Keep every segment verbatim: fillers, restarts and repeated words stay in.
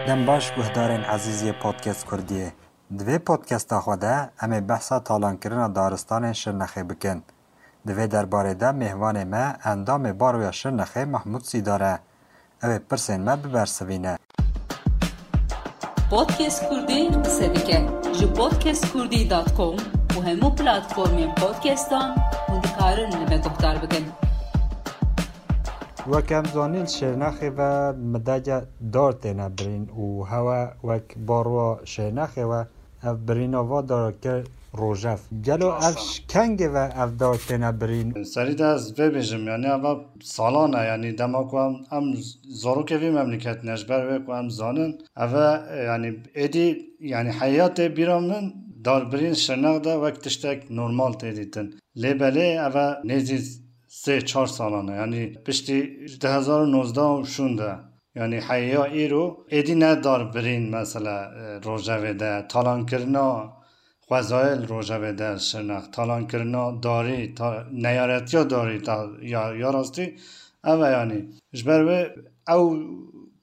Dem baş guhdarên ezîz yê Podcast Kurdiyê. Di vê podcasta xwe de em ê behsa talankirina daristanên Şirnexê bikin. Di vê derbarê de mêvanê me endamê Baroya Şirnexê Mahmûd Sîdar e. Ew ê pirsên me bibersivîne. Podcast Kurdî qise dike. Ji podcast kurdî dot com û hemû platformên podcastan hûn dikarin li me guhdar bikin. Wek em zanîn, li Şêrnexê ve midege dar têne birîn û hewe wek baroya Şêrnexê ve ev birîna va dara kir rojev. Gelo ev ji kengê ve ev dar têne birîn? Serî de ez vê bêjim, yanî eva salan e, yanî dema ku em, em zarokê vî memleketî ne, ji ber wê ku em zanin, eve, yanî êdî, yanî heyatê bîra min darbirîn Şirnex de wek tiştek normal tê dîtin. Lê belê eve nêzî sê çar salan e. Yanî piştî du hezar û nozdeh û şûnde. Yanî heya îro êdî ne darbirîn mesela, e, rojevê de, talankirina xwezayê li rojevê de Şirnex, talankirina darî, ta-, neyaretiya darî ta, ya, ya rastî ev e yanî. Ji ber wê ew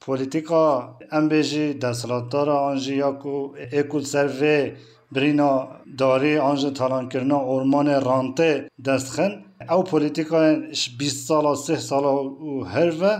polîtîka em bêjî desthilatdara an jî ya ku ê ku li ser vê birîna darî an jî talankirina ormanê rantê dest xin, ew polîtîkayên ji bîst sala, sih sala û her ve,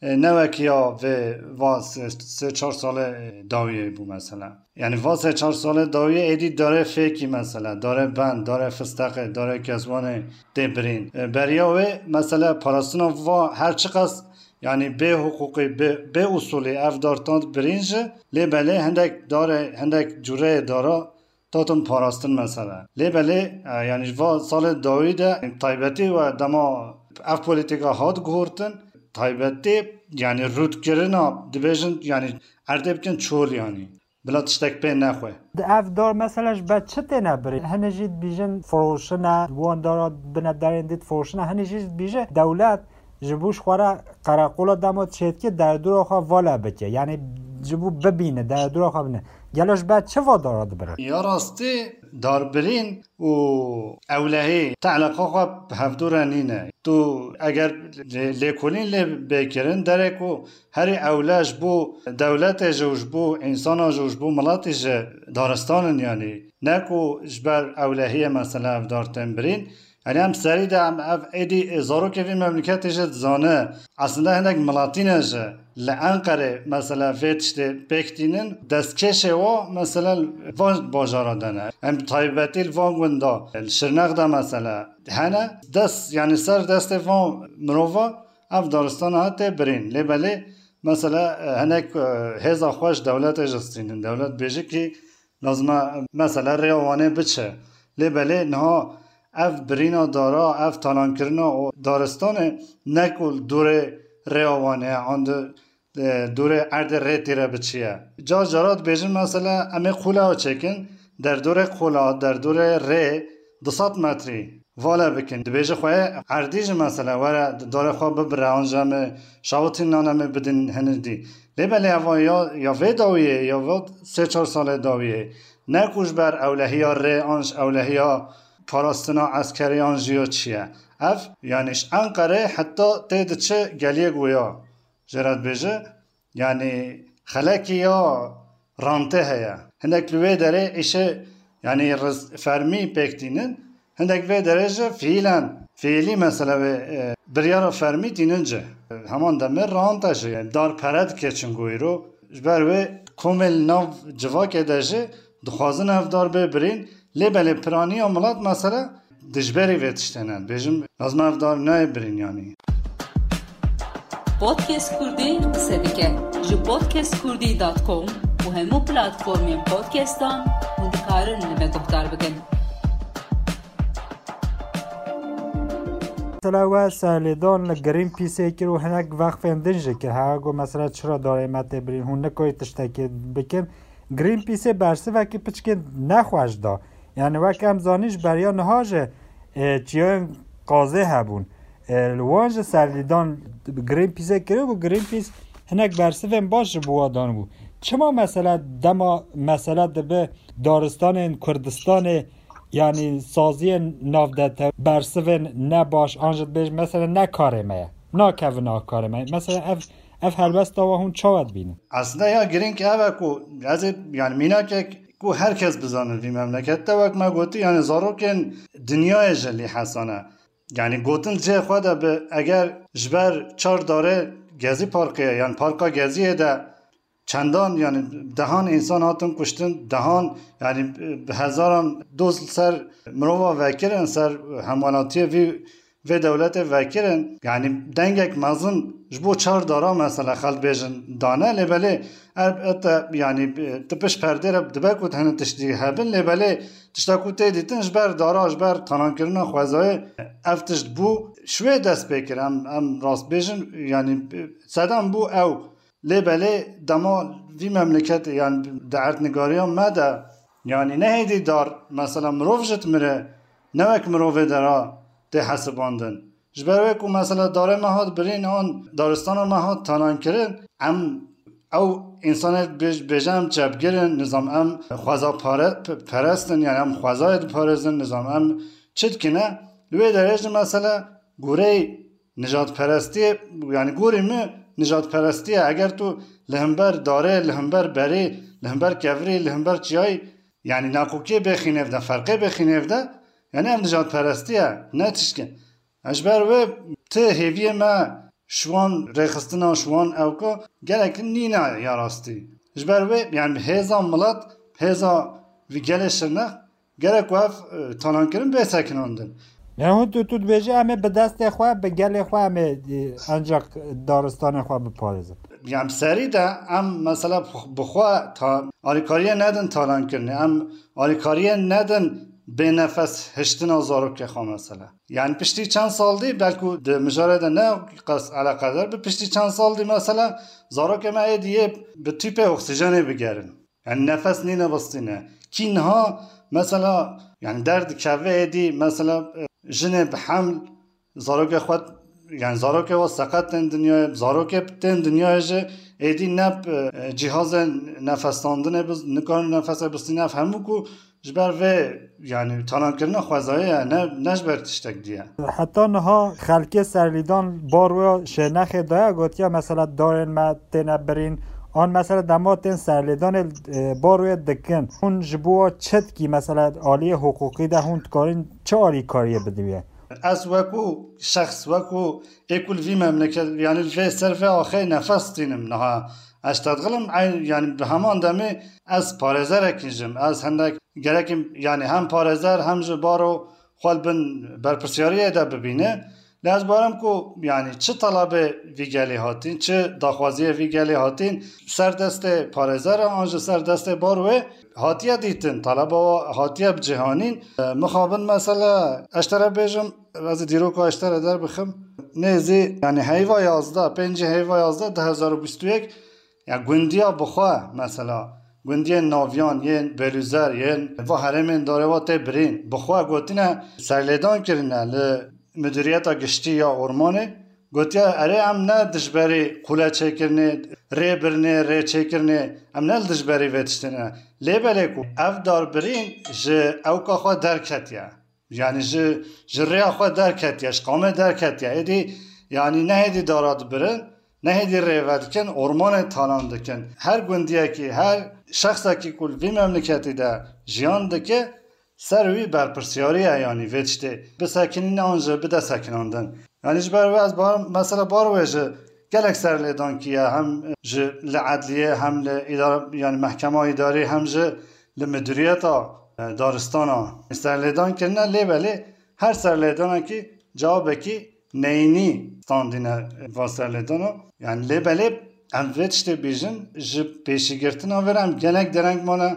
e, ne wek ya vê va sê, sê çar salê, e, dawiyê bû mesela. Yanî va sê çar salê dawiyê êdî darê fêkî mesela, darê bend, darê fisteqê, darê kezwanê tê birîn. E, beriya wê mesela parastina va her çiqas, yanî bê hiqûqî, bê, bê usulî ev dar tat birîn jî, lê belê hindek darê, hindek cûreyê dara tatin parastin mesela. Lê belê, e, yanî ji va salê dawî de taybetî we dema ev polîtîka hat guhurtin, taybetî, yanî rûdkirina, dibêjin, yanî erdê bikin çol yanî. Bila tiştek pê nexwe. Di ev dar mesela ji ber çi têne birîn? Hinî jî dibîjin firoşine, wan dara bine darên dî difiroşine. Hinî jî dibîje dewlet ji bo ji xwe re qereqola dema çêdike derdora xwe vala bike. Yanî ji bo bibîne, derdora xwe bine. Gelo ji ber çi va dara dibirin? Ya rastî darbirîn û ewlehî te eleqa xwe bi hevdû re nîne. Tu eger lê-, lêkolîn lê bê kirin, derê ku herî ewle ji bo dewletê jî û ji bo însana jî û ji bo miletî jî daristan in yanî. Ne ku ji ber ewlehiyê mesela ev dar tên birîn. Yanî em serî de em ev êdî zarokê vî memleketê jî dizane. Aslında hinek miletîne jî li Enqerê mesela vê tiştê pêk tînin, destkêşê wa mesela van bajara de ne. Em taybetî li van gunda, li Şirnex de mesela hene, dest, yanî ser destê van mirova ev daristana hate birîn. Lê belê mesela, e, hinek, e, hêza xwe ji dewletê jî stînin. Dewlet bêje kî lazim e mesela rêya Wanê biçe. Lê belê niha ev birîna dara, ev talankirina û daristanê ne ku li dorê rêya Wanê ye, an di, e, dorê erdê rê tê re biçiye. Car cara dibêjin mesela em ê qola çêkin, derdorê qola, derdorê rê du sed metrî vala bikin. Dibêje xwe erdî jî mesela were darê xwe bibire, an jî em ê şawitîn nan em ê bidin hinir dî. Lê belê eva ya, ya vê dawiyê, ya vê sê çar salê dawiyê, ne ku ji ber ewlehiya rê an ji ewlehiya parastina eskerî an jî ya çi ye. Ev, yanî ji Enqerê heta tê diçe geliyê Goya. Jê re dibêje, yanî xelekî ya rantê heye. Hinek li wê derê îşê, yanî riz-, fermî pêk tînin. Hinek vê derê jî fiîlen, fiîlî mesela wê, e, biryara fermî tînin ci. Heman demê rant e jî, yanî dar pere dike çingo îro. Ji ber wê komê li nav civakê de jî dixwazin ev dar bê birîn. Lê belê piraniya milet mesela dijberî vê tiştê ne. Dibêjim, lazim ev dar nayê birîn yanî. Podcast Kurdî qise dike. Ji podcast kurdî dot com û hemû platformên podcastan hûn dikarin li me guhdar bikin. Mesela we serlêdan li Greenpeaceê kir û hinek vexfên din jî kir. Heya got mesela çira darê me tê birîn, hûn nikarî tiştekê bikin. Greenpeaceê bersivekî piçkên nexweş da. Yani wek em zanîn ji beriya niha jî, e, çiyayên qazê hebûn. E, li wan jî serlîdan Greenpeaceê kiribû, Greenpeace hinek bersivên baş ji bo wan danibû. Çima mesela dema mesela dibe daristanên Kurdistanê, yani saziyên navdete bersivên ne baş, an jî dibêj mesela ne karê me ye, nakevin a karê me ye. Mesela ev, Ev helbesta we hûn çawa dibînin? Aslında ya girîng ev e ku ez ê, yani mînakek ku her kes bizane vî memlekette, wek me gotî, yani zarokên dinyayê jî lê hesane. Yani gotin cihê xwe de bi, eger ji ber çar darê Gezî Parkê, yani Parka Geziyê de çendan, yani dehan însan hatin kuştin, dehan, yani bi hezaran doz ser mirova vekirin, ser hemwelatiyê vî vê dewletê vekirin, yani dengek mezin ji bo çar dara mesela xelk bêjin dane, lê belê elbette yani tu pişt perdê re dibe ku hene tiştî hebin, lê belê tişta ku tê dîtin ji ber dara, ji ber talankirina xwezayê ev tişt bû. Şwê dest pê kir, em, em rast bêjin, yani sedem bû ew. Lê belê dema vî memleketê, yani di erdnigariya me de, yani nehêdî dar, mesela mirov ji dimire, ne wek mirovê dera tê hesibandin. Ji ber wê ku mesela darê me hat birîn an daristana me hat talan kirin, em ew însanê bêj-, bêje em çepgir in, nizam em xweza pare-, p-, perest in, yani em xwezayê diparêzin, nizam em çi dikine? Li wê derê jî mesela goreyê nijadperestiyê, yani gorî min nijadperestî ye. Eger tu li hember darê, li hember berê, li hember kevirê, li hember çiyayê, yani nakokiyê bêxî nêv de, ferqê bêxî nêv de, yani ev nijadperestî ye, ne tiştke. Ji ber wê ti hêviyê me ji wan rêxistina, ji wan ewka gelek nîne ya rastî. Ji ber wê, yani hêza milet, hêza vî gelê Şirnex, gerek ku ev, e, talankirin bê sekinandin. Yani hûn tu, tu dibêjî em ê bi destê xwe, bi gelê xwe em ê, e, ancak daristanê xwe biparêzin. Yani serî de em mesela bi xwe ta-, alîkariyê nedin talankirinê, em alîkariyê nedin bê nefes hiştina zarokê xwe mesela. Yani piştî çend sal dî, belkû di mijarê de ne qas eleqedar bi, piştî çend sal dî mesela zarokê me êdî yê bi tüpê oksîjenê bigerin. Yani nefes nîne bistîne. Kî niha mesela, yani derdikeve êdî mesela, e, jinê bi heml, zarokê xwe, yani zarokê we seqet tên dinyayê, zarokê tên dinyayê jî êdî ne bi, e, cîhazên nefesandinê biz-, nikarin nefesê bistîne, ev hemû ku ji ber vê, yani talankirina xwezayê ye, ne, ne ji ber tiştek diye. Heta niha xelkê serlîdan bar wê Şêrnexê daye, gotiye mesela darên me têne birîn, an mesela dema tên serlêdanê, e, bar wê dikin. Hûn ji bo çi dikî mesela aliyê hiqûqî de hûn dikarin çi alîkariyê bidî wê? Ez wekû şexs, wekû ê ku li vî memleket, yani li vê ser vê axê nefes tînim niha. Ez tedxilim, ey, yani bi heman demê ez parêzerekî jim. Ez hindek gerekim, yani hem parêzer hem ji baro xwe li bin berpirsiyariyê de bibîne. Lê ez barim ku, yani çi talabê vî gelê hatîn, çi daxwaziyê vî gelê hatîn, ser destê parêzera an ji ser destê bar wê hatiye dîtin, talaba wa hatiye bicihanîn. E, mixabin mesela, ez te re bêjim, ez ê dîroka ez te re derbixim. Nêzî, yani heyva yazdeh, pêncî heyva yazdeh, du hezar û bîst û yek, ya gundiya bixwe mesela, gundiyên naviyan, yên Belûzer, yên va herêmên darê wa tê birîn, bixwe gotine, serlêdan kirine li Midûriyeta Giştî ya Ormanê, gotiye, erê, em ne dijberî qûle çêkirinê, rê birinê, rê çêkirinê, em ne li dijberî vê tiştê ne. Lê belê ku ev darbirîn ji ewka xwe derketiye. Yani ji, ji rêya xwe derketiye, ji qamê derketiye. Êdî, yani nehêdî dara dibirin, nehêdî rê vedikin, ormanê talan dikin. Her gundiyekî, her şexsekî ku li vî memleketî de jiyan dike, ser wî berpirsiyarî ye, yanî vê tiştê bisekinîne an jî bide sekinandin. Yanî ji ber wê ez bar, mesela bar wê ji gelek serlêdan kiye, hem ji li edliyê, hem li îdare, yanî mehkema îdarî, hem ji li midûriyeta, e, daristana serlêdan kirine, lê belê her serlêdanekî cewabekî neyînî standîne va serlêdana. Yanî lê belê em vê tiştê bêjin, ji pêşîgirtina vê re em gelek dereng mane.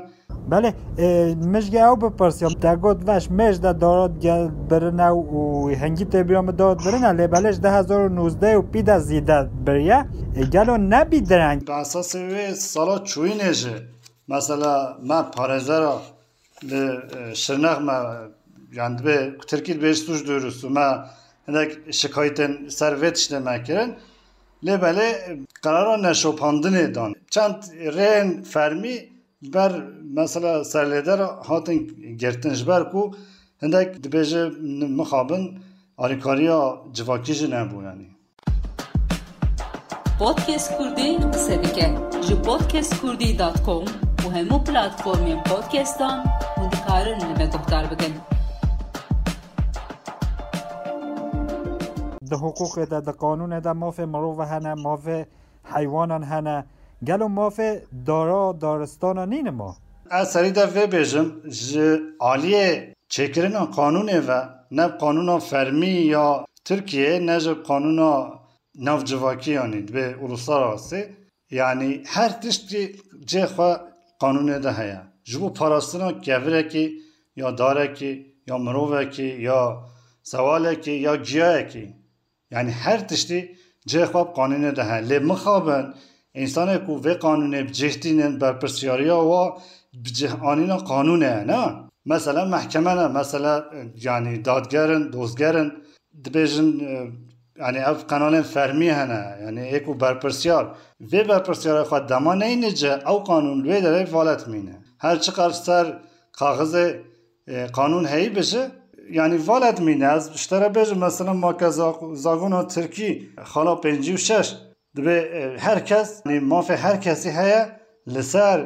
Belê, e, min ji ew bipirsiyam, te got veş mêj de darat gel birine û hingî tê bîra min darat birine, lê belê ji du hezar û nozdeh û pî de zîde biriye. E, gelo nebî dereng? Bi esasê wê sala çûyînê jî, mesela me parêzera li, e, Şirnex me, yani dibê ku Tirkî dibê suç duyurusu, me hinek şikayetên ser vê tiştê me kirin. Lê belê, e, qerara neşopandinê dan. Çend rêyên fermî li ber mesela serlêder hatin girtin, ji ber ku hindek dibêje mixabin alîkariya civakî jî nebû, yanî. Podcast Kurdî qise dike. Ji podcast kurdî dot com û hemû platformên podcastan hûn dikarin li me guhdar bikin. Di hiqûqê de, di qanûnê de mafê mirov hene, mafê heywanan hene. Gelo mafê dara daristana nîne ma? Ez serî de vê bêjim, ji aliyê çêkirina qanûnê ve, ne bi qanûna fermî ya Tirkiyeyê, ne ji qanûna navcivakî, yanî dibê uluslararası, yanî her tiştî cihê xwe qanûnê de heye. Ji bo parastina kevirekî, ya darekî, ya mirovekî, ya sewalekî, ya giyayekî. Yanî her tiştî cihê xwe bi qanûnê de heye. Lê mixabin, însanê ku vê qanûnê bi cih tînin, berpirsiyariya wa bi cih anîna qanûnê ye, ne? Mesela mehkeme ne, mesela, e, yanî dadger in, dozger in, dibêjin, e, yanî ev qenalên fermî hene, yanî ê ku berpirsiyar, vê berpirsiyarê xwe dema neyne cih, ew qanûn li wê derê vala dimîne. Her çiqas ser kaxizê, e, qanûn heyî bije, yanî vala dimîne. Ez ji te re bêjim, mesela ma ke za-, zagona tirkî, xala pêncî û şeş, dibê, e, her kes, yanî mafê her kesî heye li ser,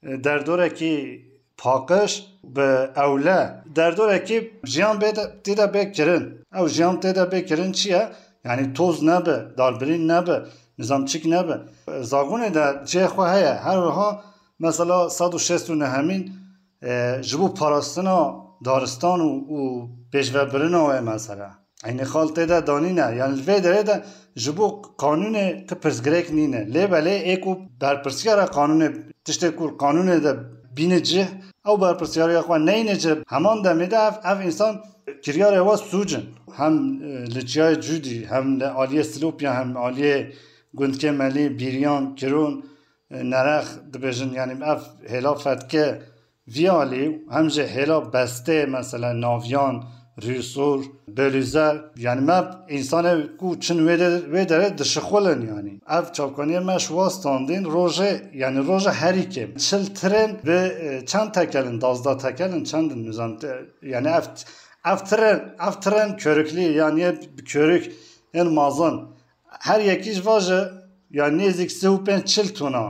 e, derdorekî paqij bi ewle. Derdorekî jiyan bê de, tê de bê kirin. Ew jiyan tê de bê kirin çi ye? Yanî toz nebe, darbirîn nebe, nizamçîk nebe. Zagonê de cihê xwe heye. Her wiha mesela sed û şêst û nehemîn, e, ji bo parastina daristan û, û pêşvebirina wê mesela. Eynî xal tê de danîne. Yanî li vê derê de ji bo qanûnê tu pirsgirêk nîne. Lê belê ê ku berpirsiyara qanûnê, tiştê ku qanûnê de bîne cih, ew berpirsiyariya xwe neyne cih, heman demê de ev, ev însan kiryarê we sûc in. Hem, e, li çiyayê Cûdî, hem li aliyê Silopya, hem aliyê gundkê Melî, Bîriyan, Kiron, e, Nerex dibêjin, yanî ev hêla fetke vî alî, hem jî hêla bestê, mesela Naviyan, Rûsor, Belûzer, yanî me însanê ku çin wê de, wê derê dişixulin yanî. Ev çavkaniyê me ji wa standîn rojê, yanî roja herî kêm çil tren bi, e, çend tekelin, dazdeh tekelin, çendin nizam te, yanî ev, ev tren, ev tren körüklî, yanî bi körük ên mazin. Her yekî ji va jî, ya nêzîk sê û pênc çil tona.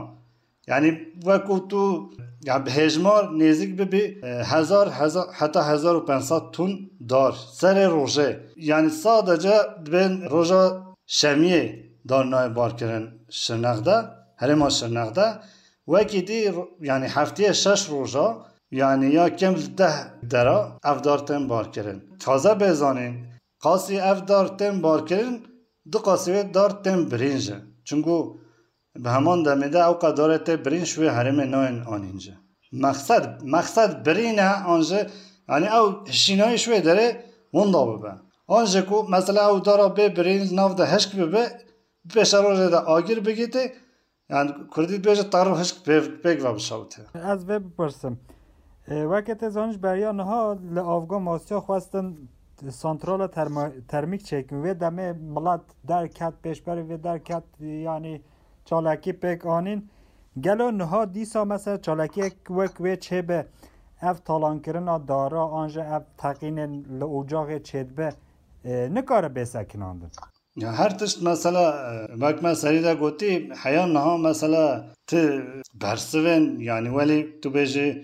Yanî wekû tu, ya bi hêjmar nêzîk bibî, e, hezar, hezar, heta hezar û pênc sed ton dar serê rojê. Yanî sadece dibên roja şemiyê dar nayê barkirin Şirnex de, herêma Şirnex de. Wekî dî ro-, yanî heftiyê şeş roja, yanî ya kêm li deh dera ev dar tên barkirin. Taze bê zanîn, qasî ev dar tên barkirin, du qasî wê dar tên birîn jî. Çunku bi heman demê de ew qedarê tê birîn ji wê herêmê nayên anîn jî. Mexsed, mexsed birîn e an jî, yanî ew hişînayî ji wê derê winda bibe. An jî ku mesela ew dara bê birîn li nav de hişk bibe, bi pêşerojê de agir bigîtê, yanî kurdî dibêje terr û hişk pê-, pêk ve bişewite. Ez vê bipirsim. E, weke tê zanîn ji beriya niha li Avga Masiya xwestin santrala termo-, termîk çêkin. Wê demê milet derket, pêşberî vê derket, yanî çalakî pêk anîn. Gelo niha dîsa mesela çalakiyek wek wê çêbe, ev talankirina dara an jî ev teqînên li ocaxê çêdibe, e, nikare bê sekinandin? Ya her tişt mesela, e, wek me serî de gotî, heya niha mesela ti bersivên, yanî welî tu bêjî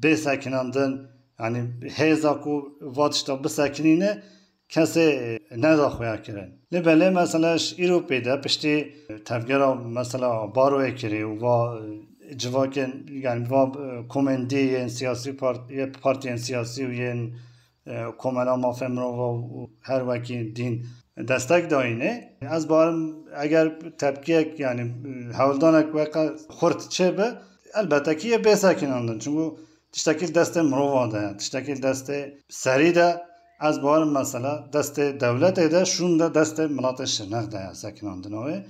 bê sekinandin, yanî hêza ku va tişta bisekinîne, kesê, e, neda xuya kirin. Lê belê mesela ji îro pê de piştî, e, tevgera mesela Baroyê kirî û va, e, civakên, yanî va, e, komên dî yên siyasî part-, yê partiyên siyasî û yên, e, Komela Mafê Mirova û her wekî dîn destek dayînê. Ez barim eger tepkiyek, yanî, e, hewldanek weke xurt çêbe, elbette ki yê bê sekinandin. Çunku tiştekî li destê mirova de ye, tiştekî li destê serî de, ez barim mesela destê dewletê de, şûn de destê miletê Şirnex de ye sekinandina wê.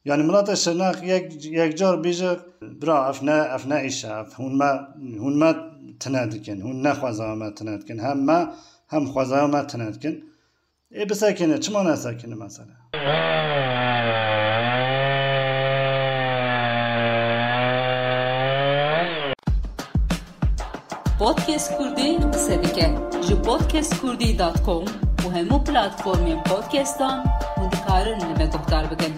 Yanî miletê Şirnex yek, yekcar bîje, bira, ev ne, ev ne îş e, ev hûn me, hûn me tine dikin, hûn ne xwezaya me tine dikin, hem me, hem xwezaya me tine dikin. Ê bisekine, çima nesekine mesela? Podcast Kurdî qise dike. Ji podcast kurdî dot com û hemû platformên podcastan hûn dikarin li me guhdar bikin.